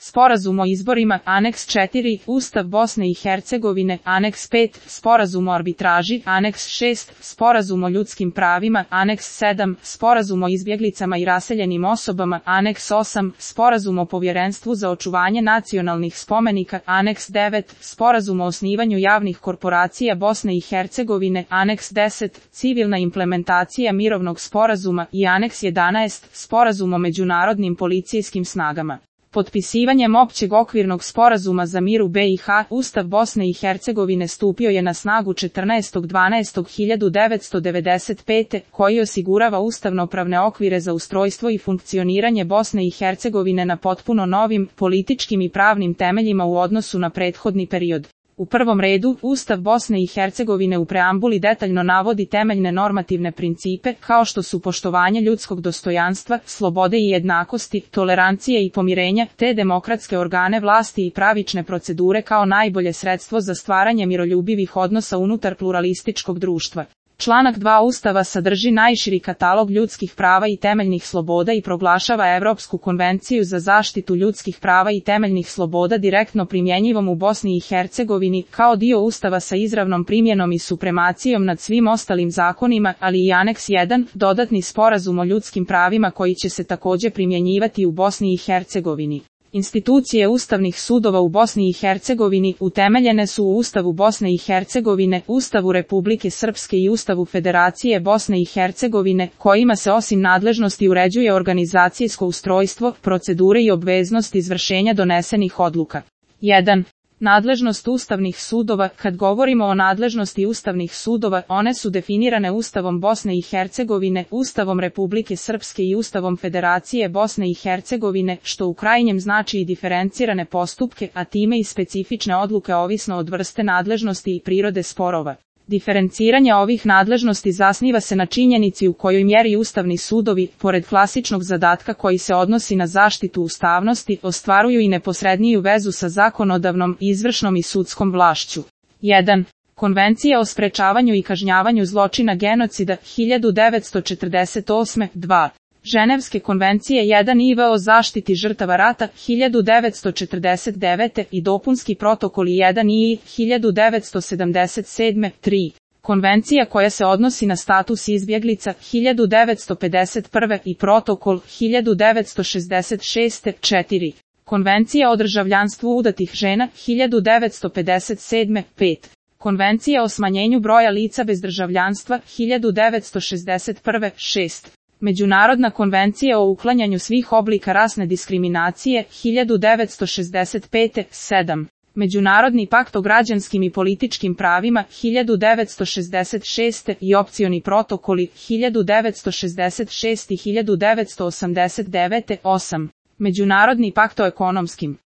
Sporazum o izborima, Aneks 4, Ustav Bosne i Hercegovine, Aneks 5, Sporazum o arbitraži, Aneks 6, Sporazum o ljudskim pravima, Aneks 7, Sporazum o izbjeglicama i raseljenim osobama, Aneks 8, Sporazum o povjerenstvu za očuvanje nacionalnih spomenika, Aneks 9, Sporazum o osnivanju javnih korporacija Bosne i Hercegovine, Aneks 10, Civilna implementacija mirovnog sporazuma i Aneks 11, Sporazum o međunarodnim policijskim snagama. Potpisivanjem općeg okvirnog sporazuma za mir u BiH, Ustav Bosne i Hercegovine stupio je na snagu 14.12.1995. koji osigurava ustavnopravne okvire za ustrojstvo i funkcioniranje Bosne i Hercegovine na potpuno novim, političkim i pravnim temeljima u odnosu na prethodni period. U prvom redu, Ustav Bosne i Hercegovine u preambuli detaljno navodi temeljne normativne principe, kao što su poštovanje ljudskog dostojanstva, slobode i jednakosti, tolerancije i pomirenja, te demokratske organe vlasti i pravične procedure kao najbolje sredstvo za stvaranje miroljubivih odnosa unutar pluralističkog društva. Članak 2 Ustava sadrži najširi katalog ljudskih prava i temeljnih sloboda i proglašava Europsku konvenciju za zaštitu ljudskih prava i temeljnih sloboda direktno primjenjivom u Bosni i Hercegovini kao dio Ustava sa izravnom primjenom i supremacijom nad svim ostalim zakonima, ali i Aneks 1, dodatni sporazum o ljudskim pravima koji će se također primjenjivati u Bosni i Hercegovini. Institucije ustavnih sudova u Bosni i Hercegovini utemeljene su u Ustavu Bosne i Hercegovine, Ustavu Republike Srpske i Ustavu Federacije Bosne i Hercegovine, kojima se osim nadležnosti uređuje organizacijsko ustrojstvo, procedure i obveznost izvršenja donesenih odluka. 1. Nadležnost ustavnih sudova. Kad govorimo o nadležnosti ustavnih sudova, one su definirane Ustavom Bosne i Hercegovine, Ustavom Republike Srpske i Ustavom Federacije Bosne i Hercegovine, što u krajnjem znači i diferencirane postupke, a time i specifične odluke ovisno od vrste nadležnosti i prirode sporova. Diferenciranje ovih nadležnosti zasniva se na činjenici u kojoj mjeri ustavni sudovi, pored klasičnog zadatka koji se odnosi na zaštitu ustavnosti, ostvaruju i neposredniju vezu sa zakonodavnom, izvršnom i sudskom vlašću. 1. Konvencija o sprečavanju i kažnjavanju zločina genocida 1948. 2. Ženevske konvencije 1 IV o zaštiti žrtava rata 1949. i dopunski protokoli 1 I 1977. 3. Konvencija koja se odnosi na status izbjeglica 1951. i protokol 1966. 4. Konvencija o državljanstvu udatih žena 1957. 5. Konvencija o smanjenju broja lica bez državljanstva 1961. 6. Međunarodna konvencija o uklanjanju svih oblika rasne diskriminacije 1965. 7. Međunarodni pakt o građanskim i političkim pravima 1966. i opcioni protokoli 1966 i 1989. 8. Međunarodni pakt o ekonomskim,